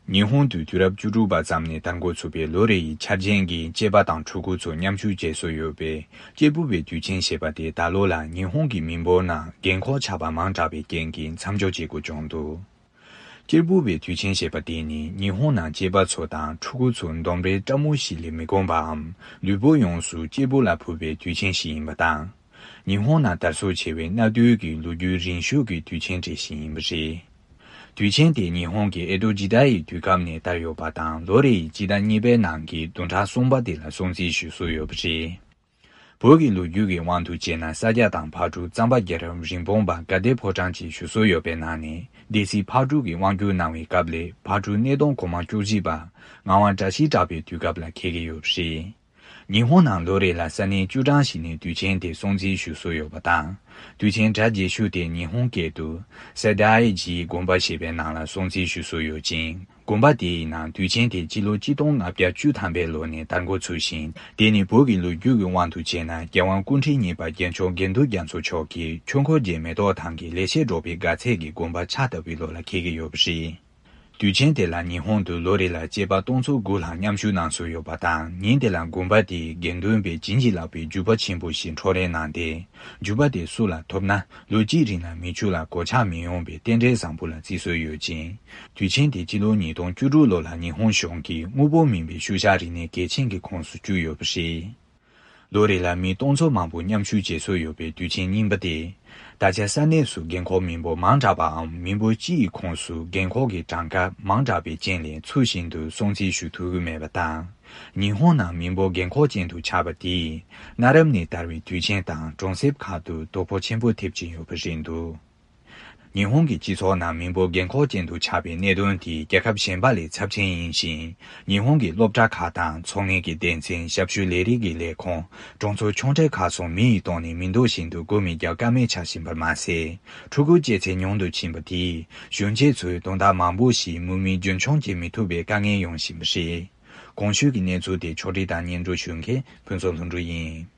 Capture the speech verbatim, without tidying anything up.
ཉི་ཧོང་དུ་དུས་རབས་བཅུ་དྲུག་པ་ཙམ་ནས་དར་འགོ་ཚུགས་པའི་ལོ་རེ་ཡི་འཆར་ཅན་གྱི་སྐྱེས་པ་དང་ཕྲུ་གུ་ཚོ་མཉམ་ཞུགས་བྱེད་སྲོལ་ཡོད་པས། སྐྱེས་བུ་བའི་དུས་ཆེན་ཞེས་པ་དེ་ད་ལོ་ལ་ཉི་ཧོང་གི་མི་འབོར་ནང་རྒན་འཁོགས་ཆགས་པ་མང་དྲགས་པའི་རྐྱེན་གྱིས་མཚམས་འཇོག་བྱེད་དགོས་བྱུང་འདུག་སྐྱེས་བུ་བའི་དུས་ཆེན་ཞེས་པ་དེ་ནི་ཉི་ཧོང་ནང་སྐྱེས་པ་ཚོ་དང་ཕྲུ་གུ་ཚོ་འདོམས་རེས་ཕྲ་མོ་ཞིག་ལས་མི་དགོས་པའམ། ལུས་པོ་ཡོངས་སུ་སྐྱེས་བུ་ལ་ཕུལ་བའི་དུས་ཆེན་ཞིག་ཡིན་པ་དང་། ཉི་ཧོང་ནང་དར་སྲོལ་ཆེ་བའི་གནའ་དུས་ཀྱི་ལོ་རྒྱུས་རིང་ཤོས་ཀྱི་དུས་ཆེན་གྲས་ཤིག་ཡིན་པ་རེད། དུས་ཆེན་དེ་ཉི་ཧོང་གི་ཨེ་ཏོ་ཇི་ཏ་ཡི་དུས་སྐབས་ནས་དར་ཡོད་པ་དང་། ལོ་རེ་ཡི་སྤྱི་ཟླ་གཉིས་པའི་ནང་གི་བདུན་ཕྲག་གསུམ་པ་དེ་ལ་སྲུང་བརྩི་ཞུ་སྲོལ་ཡོད་པ་རེད། བོད་ཀྱི་ལོ་རྒྱུས་ཀྱི་དབང་དུ་བྱས་ན། ས་སྐྱ་དང་ཕག་གྲུ་གཙང་པ་རྒྱལ་རབས་རིན་སྤུངས་པ་དགའ་ལྡན་ཕོ་བྲང་ཅེས་ཞུ་སྲོལ་ཡོད་པའི་ནང་ནས། སྡེ་སྲིད་ཕག་གྲུ་གིས་དབང་བསྒྱུར་གནང་བའི་སྐབས་ལས་ཕག་གྲུ་སྣེ་གདོང་གོང་མ་བཅུ་བཞི་པ་ངག་དབང་བཀྲ་ཤིས་གྲགས་པའི་དུས་སྐབས་ལ་འཁེལ་གྱི་ཡོད་པ་རེད། ཉི་ཧོང་ནང་ལོ་རེ་ལ་ས་གནས་བཅུ་གྲངས་ཤིག་ནས་དུས་ཆེན་དེ་སྲུང་བརྩི་ཞུ་སྲོལ་ཡོད་པ་དང་། དུས་ཆེན་གྲ་རྒྱས་ཤོས་དེ་ཉི་ཧོང་སྐད་དུ་སེ་དཱའི་ཇིའི་དགོན་པ་ཞེས་པའི་ནང་ལ་སྲུང་བརྩི་ཞུ་སྲོལ་ཡོད་ཅིང་། དགོན་པ་དེའི་ནང་དུས་ཆེན་དེ་སྤྱི་ལོ་ཆིག་སྟོང་ལྔ་བརྒྱ་བཅུ་ཐམ་པའི་ལོ་ནས་དར་འགོ་ཚུགས་ཤིང་། དེ་ནི་བོད་ཀྱི་ལོ་རྒྱུས་ཀྱི་དབང་དུ་བྱས་ན། རྒྱལ་དབང་སྐུ་ཕྲེང་གཉིས་པ་རྒྱལ་མཆོག་དགེ་འདུན་རྒྱ་མཚོ་མཆོག་གིས་ཆོས་འཁོར་རྗེ་མེ་ཏོག་ཐང་གི་ལེགས་བཤད་སྒྲོག་པའི་དགའ་ཚལ་གྱི་དགོན་པ་ཕྱག་བཏབ་པའི་ལོ་ལ་འཁེལ་གྱི་ཡོད་པ་རེད། དུས་ཆེན་དེ་ལ་ཉི་ཧོང་དུ་ལོ་རེ་ལ་སྐྱེས་པ་སྟོང་ཚོ་དགུ་ལྷག་མཉམ་ཞུགས་གནང་སྲོལ་ཡོད་པ་དང་། ཉིན་དེ་ལ་དགོན་པ་དེའི་དགེ་འདུན་པས་བྱིན་གྱིས་བརླབས་པའི་རྒྱུག་པ་ཆེན་པོ་ཞིག་འཕྲོག་རེས་གནང་སྟེ། རྒྱུག་པ་དེ་སུ་ལ་ཐོབ་ན་ལོ་གཅིག་རིང་ལ་མིག་ཆུ་ལ་གོད་ཆག་མི་ཡོང་བའི་རྟེན་འབྲེལ་བཟང་པོ་ལ་བརྩི་སྲོལ་ཡོད་ཅིང་། དུས་ཆེན་དེ་སྤྱི་ལོ་ཉིས་སྟོང་བཅུ་དྲུག་ལོ་ལ་ཉི་ཧོང་གཞུང་གིས་དངོས་པོ་མིན་པའི་ཤུལ་བཞག་རིག་གནས་གལ་ཆེན་གྱི་ཁོངས་སུ་བཅུག་ཡོད་པ་རེད། ལོ་རེ་ལ་མི་སྟོང་ཚོ་མང་པོ་མཉམ་ཞུགས་བྱེད་སྲོལ་ཡོད་པའི་དུས་ཆེན་རྙིང་པ་དེ། ད་ཆ་ས་གནས་སུ་རྒན་འཁོགས་མི་འབོར་མང་དྲགས་པའམ། མི་འབོར་སྤྱི་ཡི་ཁོངས་སུ་རྒན་འཁོགས་ཀྱི་གྲངས་ཀ་མང་དྲགས་པའི་རྐྱེན་ལས་ཚུལ་བཞིན་དུ་སྲུང་བརྩི་ཞུ་ཐུབ་ཀྱི་མེད་པ་དང་། ཉི་ཧོང་ནང་མི་འབོར་རྒན་འཁོགས་ཅན་དུ་ཆགས་པ་དེས། གནའ་རབས་ནས་དར་བའི་དུས་ཆེན་དང་གྲོང་གསེབ་ཁག་ཏུ་དོ་ཕོག་ཆེན་པོ་ཐེབས་ཀྱིན་ཡོད་པ་རེད་འདུག་ཉི་ཧོང་གི་སྤྱི་ཚོགས་ནང་མི་འབོར་རྒན་འཁོགས་ཅན་དུ་ཆགས་པའི་གནད་དོན་དེས་རྒྱལ་ཁབ་གཞན་པ་ལས་ཚབས་ཆེན་ཡིན་ཞིང་། ཉི་ཧོང་གི་སློབ་གྲྭ་ཁག་དང་ཚོང་ལས་ཀྱི་སྡེ་ཚན། ཞབས་ཞུ་ལས་རིགས་ཀྱི་ལས་ཁུངས། གྲོང་ཚོ་ཆུང་གྲས་ཁག་སོགས་མི་ཡི་སྟེང་ནས་མི་འདོད་བཞིན་དུ་སྒོ་མི་རྒྱག་ཀ་མེད་ཆགས་བཞིན་པར་མ་ཟད། ཕྲུ་གུ་སྐྱེ་ཚད་ཉུང་དུ་ཕྱིན་པ་དེས་གཞོན་སྐྱེས་ཚོའི་དོན་དག་མང་པོ་ཞིག་མུ་མེད་རྒྱུན་འཁྱོངས་བྱེད་མི་ཐུབ་པའི་དཀའ་ངལ་ཡོང་བཞིན་པ་རེད། གོང་ཞུས་ཀྱི་གནས་ཚུལ་དེ་ཕྱོགས་སྒྲིག་དང་སྙན་སྒྲོན་ཞུ་མཁན་ཕུན་ཚོགས་ལྷུན་གྲུབ་ཡིན།